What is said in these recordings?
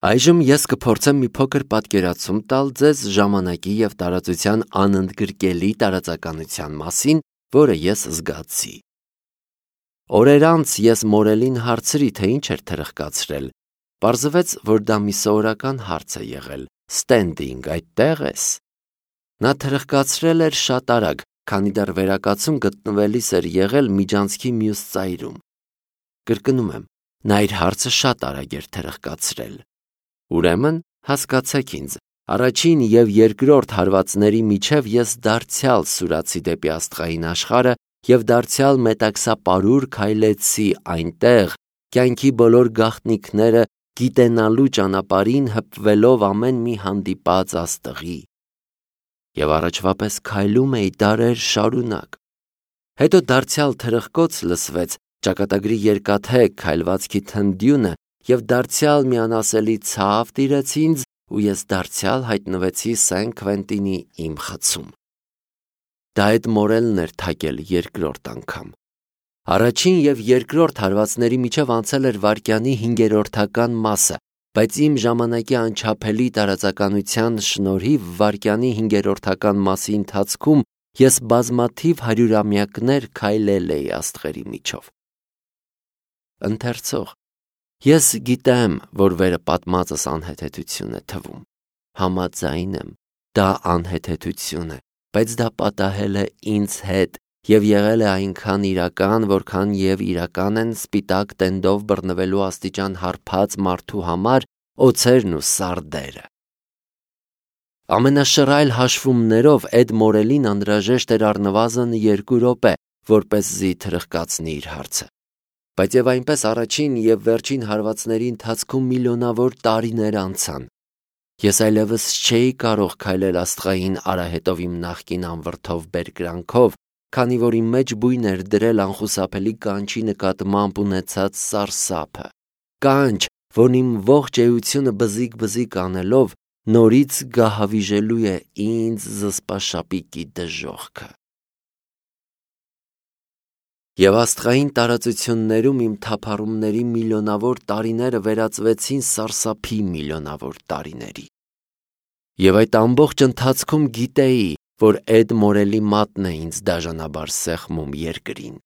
Այժմ ես կփորձեմ մի փոքր պատկերացում տալ ձեզ ժամանակի և տարածության անընդգրկելի տարածականության մասին, որը ես զգացի։ Օրեր անց ես մորելին հարցրի, թե ինչ էր թրխկացրել։ Պարզվեց, որ դա մի սովորական հարց է եղել. «Ստենդինգ, այդտե՞ղ ես»։ Նա թրխկացրել էր շատ արագ, քանի դեռ վերակացում գտնվելիս էր եղել միջանցքի մյուս ծայրում։ Կրկնում եմ, նա իր հարցը շատ արագ էր թրխկացրել։ Ուրեմն, հասկացեք ինձ, առաջին և երկրորդ հարվածների միջև ես դարձյալ սուրացի դեպի աստղային աշխարհը և դարձյալ մետաքսապարուր քայլեցի այնտեղ, կյանքի բոլոր գաղտնիքները գիտենալու ճանապարհին հպվելով ամեն մի հանդիպած աստղի։ Եվ առաջվա պես քայլում էի դարեր շարունակ։ Հետո դարձյալ թրխկոց լսվեց, ճակատագրի երկաթե քայլվածքի թնդյունը և դարձյալ մի անասելի ցավ տիրեց ինձ ու ես դարձյալ հայտնվեցի Սեն Քվենտինի իմ խցում։ Դա այդ մորելն էր թակել երկրորդ անգամ։ Առաջին և երկրորդ հարվածների միջև անցել էր վայրկյանի 5-րդական մասը, բայց իմ ժամանակի անչափելի տարածականության շնորհիվ վայրկյանի 5-րդական մասի ընթացքում ես բազմաթիվ հարյուրամյակներ քայլել էի աստղերի միջով։ Ընթերցող, ես գիտեմ, որ վերը պատմածս անհեթեթություն է թվում։ Համաձայն եմ, դա անհեթեթություն է, բայց դա պատահել է ինձ հետ և եղել է այնքան իրական, որքան և իրական են սպիտակ տենդով բռնվելու աստիճան հարբած մարդու համար օձերն ու սարդերը։ Ամենաշռայլ հաշվումներով Էդ Մորելին անհրաժեշտ էր առնվազն 2 րոպե, որպեսզի թրխկացնի իր հարցը։ Բայց և այնպես առաջին և վերջին հարվածների ընթացքում միլիոնավոր տարիներ անցան։ Ես այլևս չէի կարող քայլել աստղային արահետով իմ նախկին անվրդով բերկրանքով, քանի որ իմ մեջ բույն էր դրել անխուսափելի կանչի նկատմամբ ունեցած սարսափը։ Կանչ, որն իմ ողջ էությունը բզիկ-բզիկ անելով նորից գահավիժելու է ինձ զսպաշապիկի դժոխքը։ Եվ աստղային տարածություններում իմ թափառումների միլիոնավոր տարիները վերածվեցին սարսափի միլիոնավոր տարիների։ Եվ այդ ամբողջ ընթացքում գիտեի, որ Էդ Մորելի մատն է ինձ դաժանաբար սեղմում երկրին։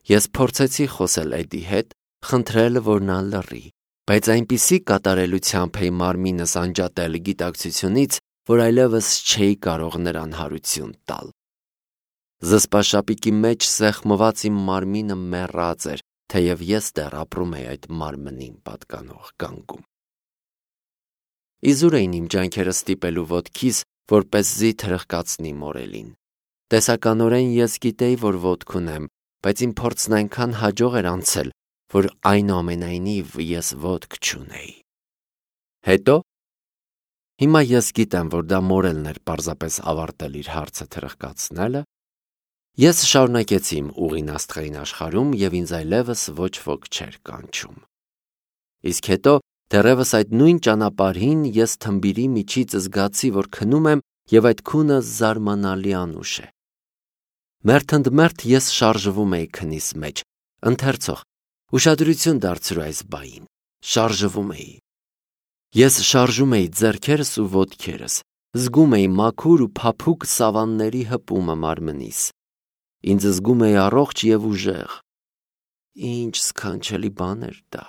Ես փորձեցի խոսել Էդի հետ, խնդրել, որ նա լռի, բայց այնպիսի կատարելությամբ էի մարմինս անջատել գիտակցությունից, որ այլևս չէի կարող նրան հարություն տալ։ Զսպաշապիկի մեջ սեղմված իմ մարմինը մեռած էր, թեև ես դեռ ապրում էի այդ մարմնին պատկանող կանգում։ Իզուր էին իմ ջանքերը ստիպելու ոտքիս, որպեսզի թրխկացնի մորելին։ Տեսականորեն ես գիտեի, որ ոտք ունեմ, բայց իմ փորձն այնքան հաջող էր անցել, որ այնուամենայնիվ ես ոտք չունեի։ Հետո։ Հիմա ես գիտեմ, որ դա մորելն էր պարզապես ավարտել իր հարցը թրխկացնելը։ Ես շարունակեցի իմ ուղին աստղային աշխարհում և ինձ այլևս ոչ ոք չէր կանչում։ Իսկ հետո, դեռևս այդ նույն ճանապարհին ես թմբիրի միջից զգացի, որ քնում եմ և այդ քունը զարմանալի անուշ է։ Մերթ ընդ մերթ ես շարժվում էի քնիս մեջ։ Ընթերցող, ուշադրություն դարձրու այս բային։ Շարժվում էի։ Ես շարժում էի ձեռքերս ու ոտքերս, զգում էի մաքուր ու փափուկ սավանների հպումը մարմնիս։ Ինձ զգում էի առողջ և ուժեղ։ Ինչ սքանչելի բան էր դա։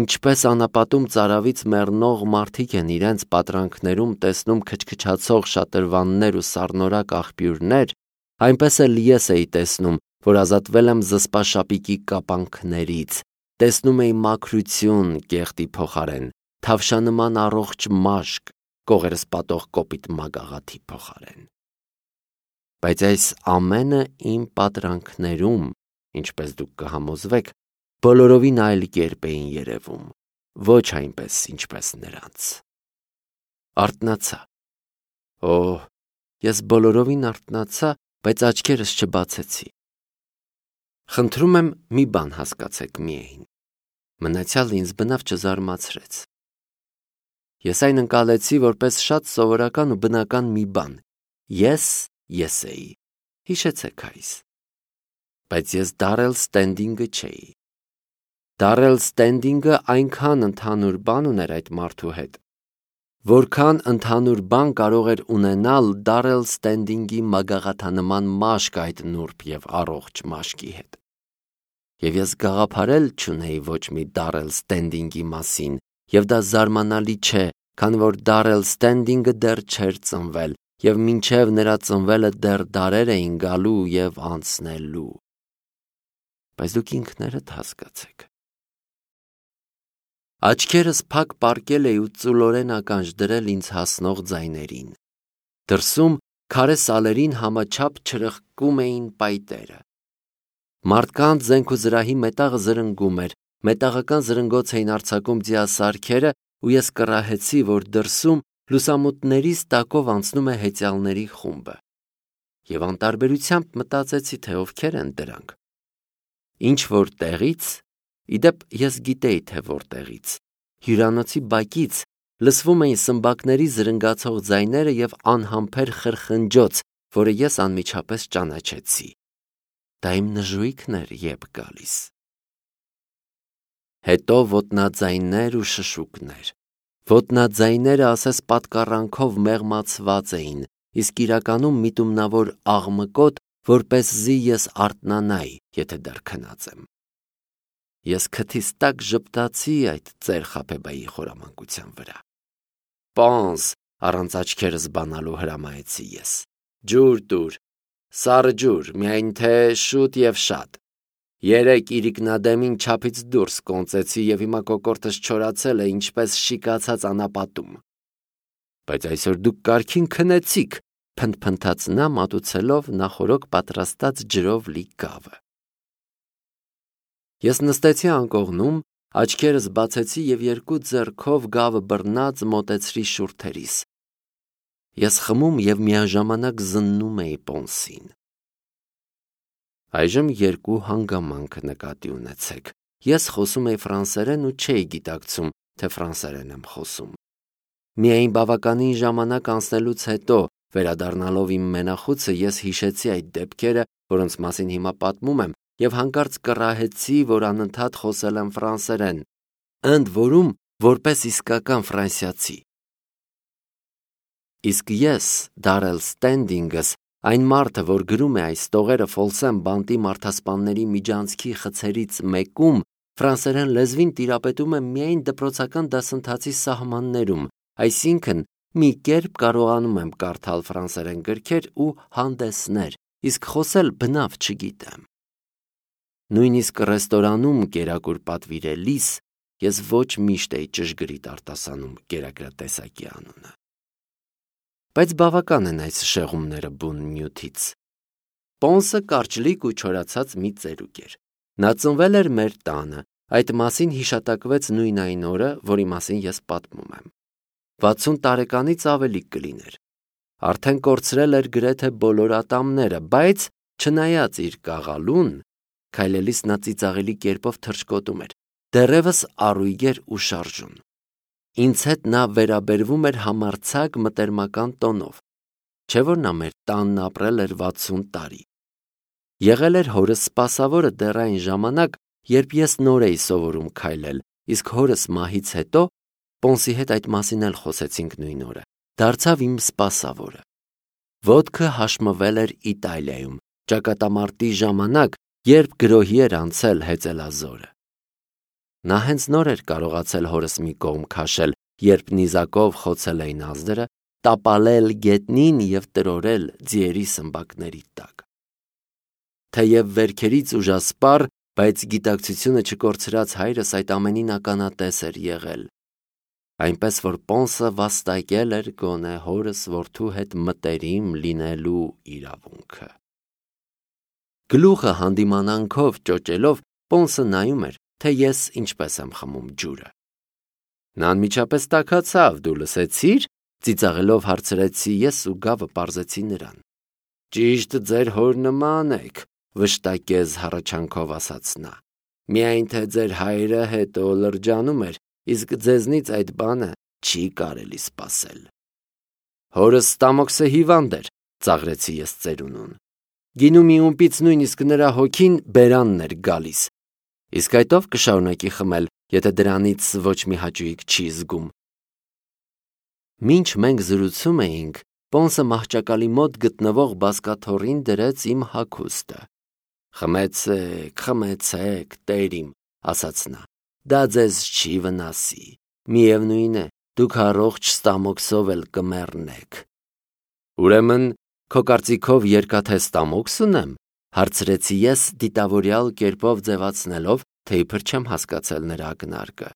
Ինչպես անապատում ծարավից մեռնող մարդիկ են իրենց պատրանքներում տեսնում քչքչացող շատրվաններ ու սառնորակ աղբյուրներ, այնպես էլ ես էի տեսնում, որ ազատվել եմ զսպաշապիկի կապանքներից, տեսնում էի մաքրություն կեղտի փոխարեն, թավշանման առողջ մաշկ, կողերս պատող կոպիտ մագաղաթի փոխարեն։ Բայց այս ամենը իմ պատրանքներում, ինչպես դուք կհամոզվեք, բոլորովին այլ կերպ էին երևում, ոչ այնպես, ինչպես նրանց։ Արթնացա։ Օհ, ես բոլորովին արթնացա, բայց աչքերս չբացեցի։ Խնդրում եմ մի բան հասկացեք միայն։ Մնացյալը ինձ բնավ չզարմացրեց։ Ես այն ընկալեցի որպես շատ սովորական ու բնական մի բան։ Ես էի։ Հիշեցեք այս։ Բայց ես Դարել Ստենդինգը չէի։ Դարել Ստենդինգը այնքան ընդհանուր բան ուներ այդ մարդու հետ, որքան ընդհանուր բան կարող էր ունենալ Դարել Ստենդինգի մագաղաթանման մաշկ այդ նուրբ և առողջ մաշկի հետ։ Եվ ես գաղափարել չունեի ոչ մի Դարել Ստենդինգի մասին, և դա զարմանալի չէ, քանի որ Դարել Ստենդինգը դեռ չէր ծնվել, և մինչև նրա ծնվելը դեռ դարեր էին գալու և անցնելու։ Բայց դուք ինքներդ հասկացեք։ Աչքերս փակ պառկել էի ու ծուլորեն ականջ դրել ինձ հասնող ձայներին։ Դրսում քարե սալերին համաչափ չրխկում էին պայտերը։ Մարդկանց զենք ու զրահի մետաղը զրնգում էր, մետաղական զրնգոց էին արձակում ձիասարքերը, ու ես կռահեցի, որ դրսում լուսամուտներից տակով անցնում է հեծյալների խումբը։ Եվ անտարբերությամբ մտածեցի, թե ովքեր են դրանք։ Ինչ-որ տեղից, իդեպ ես գիտեի, թե որտեղից, հյուրանոցի բակից լսվում էին սմբակների զրնգացող ձայները և անհամբեր խրխնջոց, որը ես անմիջապես ճանաչեցի։ Դա իմ նժույգն էր եբ գալիս։ Հետո ոտնաձայններ ու շշուկներ։ Ոտնաձայները ասես պատկառանքով մեղմացված էին, իսկ իրականում միտումնավոր աղմկոտ, որպեսզի ես արթնանայի, եթե դեռ քնած եմ։ Ես քթիս տակ ժպտացի այդ ծեր խաբեբայի խորամանկության վրա։ Պոնս, առանց աչքերս բանալու հրամայեցի ես։ Ջուր տուր, սառը ջուր, միայն թե շուտ և շատ։ Երեկ իրիկնադեմին չափից դուրս կոնծեցի և հիմա կոկորդս չորացել է, ինչպես շիկացած անապատում։ Բայց այսօր դուք կարգին քնեցիք, փնթփնթաց նա, մատուցելով նախօրոք պատրաստած ջրով լի գավը։ Ես նստեցի անկողնում, աչքերս բացեցի և երկու ձեռքով գավը բռնած մոտեցրի շուրթերիս։ Ես խմում և միաժամանակ զննում էի Պոնսին։ Այժմ երկու հանգամանք նկատի ունեցեք։ Ես խոսում էի ֆրանսերեն ու չէի գիտակցում, թե ֆրանսերեն եմ խոսում։ Միայն բավականին ժամանակ անցնելուց հետո, վերադառնալով իմ մենախուցը, ես հիշեցի այդ դեպքերը, որոնց մասին հիմա պատմում եմ, և հանկարծ կռահեցի, որ անընդհատ խոսել եմ ֆրանսերեն, ընդ որում որպես իսկական ֆրանսիացի։ Իսկ ես, Դարել Ստենդինգս, այն մարդը, որ գրում է այս տողերը Ֆոլսեմ բանտի մարդասպանների միջանցքի խցերից մեկում, ֆրանսերեն լեզվին տիրապետում եմ միայն դպրոցական դասընթացի սահմաններում, այսինքն մի կերպ կարողանում եմ կարդալ ֆրանսերեն գրքեր ու հանդեսներ, իսկ խոսել բնավ չգիտեմ։ Նույնիսկ ռեստորանում կերակուր պատվիրելիս ես ոչ միշտ էի ճշգրիտ արտասանում կերակրատեսակի անունը։ Բայց բավական են այս շեղումները բուն նյութից։ Պոնսը կարճլիկ ու չորացած մի ծերուկ էր։ Նա ծնվել էր մեր տանը, այդ մասին հիշատակվեց նույն այն օրը, որի մասին ես պատմում եմ։ 60 տարեկանից ավելի կլիներ։ Արդեն կորցրել էր գրեթե բոլոր ատամները, բայց չնայած իր կաղալուն, քայլելիս նա ծիծաղելի կերպով թռչկոտում էր, դեռևս առույգ էր ու շարժուն։ Ինձ հետ նա վերաբերվում էր համարձակ մտերմական տոնով, չէ՞ որ նա մեր տանն ապրել էր 60 տարի։ Եղել էր հորս սպասավորը դեռ այն ժամանակ, երբ ես նոր էի սովորում քայլել, իսկ հորս մահից հետո, Պոնսի հետ այդ մասին էլ խոսեցինք նույն օրը, դարձավ իմ սպասավորը։ Ոտքը հաշմվել էր Իտալիայում, ճակատամարտի ժամանակ, երբ գրոհի էր անցել հեծելազորը։ Նա հենց նոր էր կարողացել հորս մի կողմ քաշել, երբ նիզակով խոցել էին ազդրը, տապալել գետնին և տրորել ձիերի սմբակների տակ։ Թեև վերքերից ուժասպառ, բայց գիտակցությունը չկորցրած հայրս այդ ամենին ականատես էր եղել, այնպես որ Պոնսը վաստակել էր գոնե հորս որդու հետ մտերիմ լինելու իրավունքը։ Գլուխը հանդիմանանքով ճոճելով Պոնսը նայում էր, թե ես ինչպես եմ խմում ջուրը։ Նա անմիջապես տաքացավ, դու լսեցի՞ր, ծիծաղելով հարցրեցի ես ու գավը պարզեցի նրան։ Ճիշտ ձեր հոր նման եք, վշտակեզ հառաչանքով ասաց նա։ Միայն թե ձեր հայրը հետո լրջանում էր, իսկ ձեզնից այդ բանը չի կարելի սպասել։ Հորս ստամոքսը հիվանդ էր, ծաղրեցի ես ծերունուն։ Գինու մի ումպից նույնիսկ նրա հոգին բերանն էր գալիս։ Իսկ այդ ով կշարունակի խմել, եթե դրանից ոչ մի հաճույք չի զգում։ Մինչ մենք զրուցում էինք, Պոնսը մահճակալի մոտ գտնվող բազկաթոռին դրեց իմ հագուստը։ Խմեցեք, տերիմ, ասաց նա, դա ձեզ չի վնասի, միևնույն է, դուք առողջ ստամոքսով էլ կմեռնեք։ Ուրեմն, քո կարծիքով երկաթե ստամոքս ունեմ, հարցրեցի ես դիտավորյալ կերպով ձևացնելով, թե իբր չեմ հասկացել նրա ակնարկը։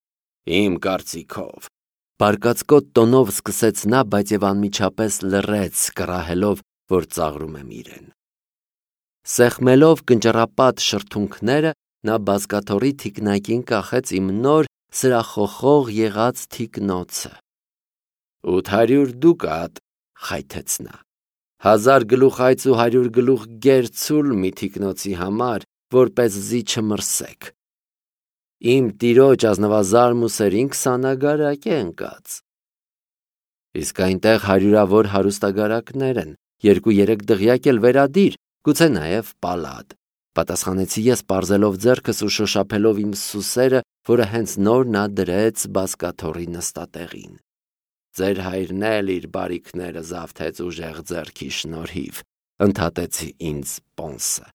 Իմ կարծիքով։ Բարկացկոտ տոնով սկսեց նա, բայց եւ անմիջապես լռեց, կռահելով, որ ծաղրում եմ իրեն։ Սեղմելով կնճռապատ շրթունքները, նա բազկաթոռի թիկնակին կախեց իմ նոր սրախոխող եղած թիկնոցը։ 800 դուկատ, խայթեց նա։ 1000 գլուխ այծ ու 100 գլուխ գերցուլ մի թիկնոցի համար, որպեսզի չմրսեք։ Իմ տիրոջ ազնվազարմուսերին 20 ագարակ է ընկած։ Իսկ այնտեղ հարյուրավոր հարուստագարակներ են, 2-3 դղյակ էլ վերադիր, գուցե նաև պալատ, պատասխանեցի ես պարզելով ձեռքս ու շոշափելով իմ սուսերը, որը հենց նոր նա դրեց բազկաթոռի նստատեղին։ Ձեր հայրն էլ իր բարիքները զավթեց ուժեղ ձեռքի շնորհիվ, ընդհատեցի ինձ Պոնսը։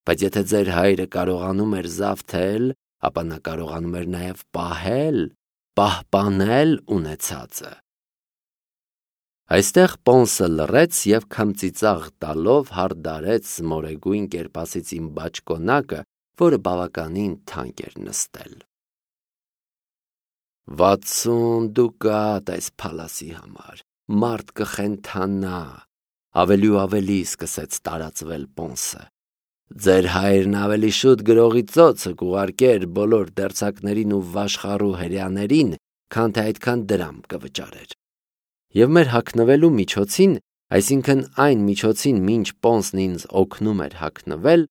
Բայց եթե ձեր հայրը կարողանում էր զավթել, ապա նա կարողանում էր նաև պահպանել ունեցածը։ Այստեղ Պոնսը լռեց և քմծիծաղ տալով հարդարեց մորեգույն կերպասից իմ բաճկոնակը, որը բավականին թանկ էր նստել։ 60 դուկատ այս փալասի համար, մարդ կխենթանա, ավելի ու ավելի սկսեց տարածվել Պոնսը։ Ձեր հայրն ավելի շուտ գրողի ծոցը կուղարկեր բոլոր դերձակներին ու վաշխառու հրեաներին, քան թե այդքան դրամ կվճարեր։ Եվ մեր հագնվելու միջոցին, այսինքն այն միջոցին, մինչ Պոնսն ինձ օգնում էր հագնվել,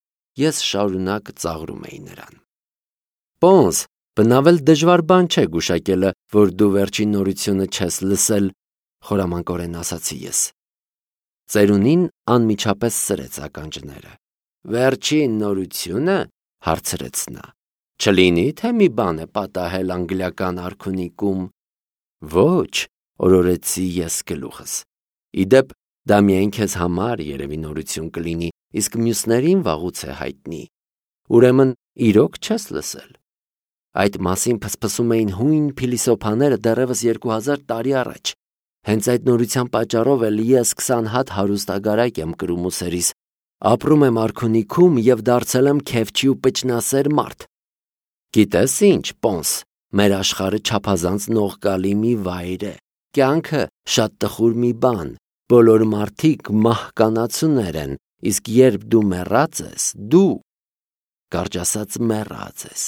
ես շարունակ ծաղրում էի նրան։ Պոնս, բնավել դժվար բան չէ գուշակելը, որ դու վերջին նորությունը չես լսել, խորամանկորեն ասացի ես։ Ծերունին անմիջապես սրեց ականջները։ Վերջին նորությունը, հարցրեց նա, չլինի, թե մի բան է պատահել անգլիական արքունիքում։ Ոչ, օրորեցի ես գլուխս։ Իդեպ, դա միայն քեզ համար երևի նորություն կլինի, իսկ մյուսներին վաղուց է հայտնի։ Ուրեմն, իրոք չես լսել։ Այդ մասին փսփսում էին հույն փիլիսոփաները դեռևս 2000 տարի առաջ։ Հենց այդ նորության պատճառով էլ ես 20 հատ հարուստագարակ եմ կրում ուսերիս, ապրում եմ արքունիքում և դարձել եմ քեֆչի ու պճնասեր մարդ։ Գիտես ինչ, Պոնս, մեր աշխարհը չափազանց նողկալի մի վայր է, կյանքը շատ տխուր մի բան, բոլոր մարդիկ մահկանացուներ են, իսկ երբ դու մեռած ես, դու, կարճ ասած, մեռած ես։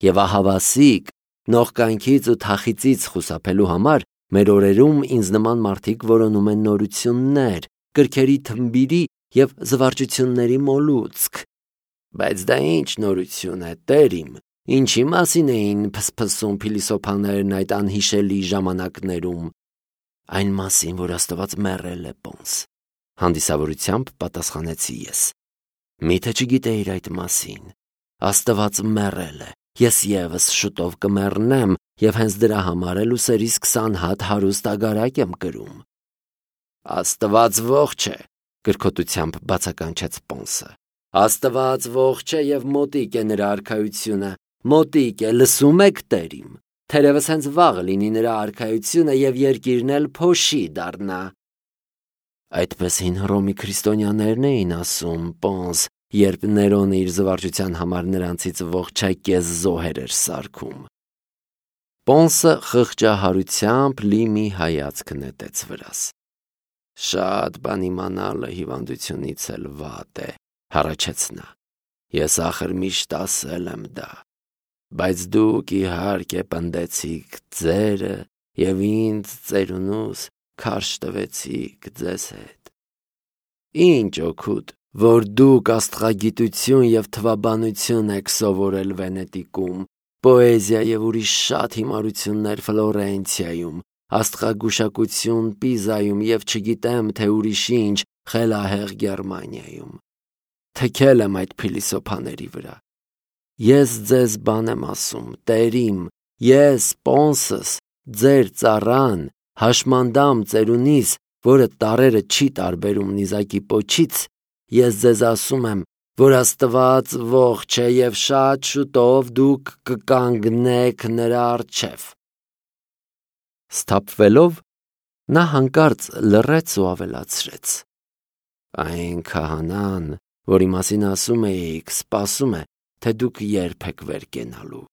Եվ ահավասիկ, նողկանքից ու թախիծից խուսափելու համար մեր օրերում ինձ նման մարդիկ որոնում են նորություններ, կրքերի թմբիրի և զվարճությունների մոլուցք։ Բայց դա ինչ նորություն է, տերիմ, ինչի մասին էին փսփսում փիլիսոփաներն այդ անհիշելի ժամանակներում։ Այն մասին, որ Աստված մեռել է, Պոնս, հանդիսավորությամբ պատասխանեցի ես։ Միթե չգիտեիր այդ մասին։ Աստված մեռել է, ես ևս շուտով կմեռնեմ և հենց դրա համար էլ ուսերիս 20 հատ հարուստ ագարակ եմ կրում։ Աստված ողջ է, կրքոտությամբ բացականչեց Պոնսը։ Աստված ողջ է և մոտիկ է նրա արքայությունը, մոտիկ է, լսում եք, տերիմ, թերևս հենց վաղը լինի նրա արքայությունը և երկիրն էլ փոշի դառնա։ Այդպես հին Հռոմի քրիստոնյաներն էին ասում, Պոնս, երբ Ներոնը իր զվարճության համար նրանցից ողջակեզ զոհեր էր սարքում։ Պոնսը խղճահարությամբ լի մի հայացք նետեց վրաս։ Շատ բան իմանալը հիվանդությունից էլ վատ է, հառաչեց նա։ Ես ախր միշտ ասել եմ դա, բայց դուք իհարկե պնդեցիք ձերը և ինձ ծերունուս քարշ տվեցիք ձեզ հետ։ Ինչ օգուտ, որ դուք աստղագիտություն և թվաբանություն եք սովորել Վենետիկում, պոեզիա և ուրիշ շատ հիմարություններ Ֆլորենցիայում, աստղագուշակություն Պիզայում և չգիտեմ, թե ուրիշ ինչ խելահեղ Գերմանիայում։ Թքել եմ այդ փիլիսոփաների վրա։ Ես ձեզ բան եմ ասում, Տերիմ, ես Պոնսս, ձեր ծառան, հաշմանդամ ծերունիս, որը տարրերը չի տարբերում նիզակի պոչից, ես ձեզ ասում եմ, որ Աստված ողջ է և շատ շուտով դուք կկանգնեք նրա առջև։ Սթափվելով, նա հանկարծ լռեց ու ավելացրեց. Այն քահանան, որի մասին ասում էիք, սպասում է, թե դուք երբ եք վեր կենալու։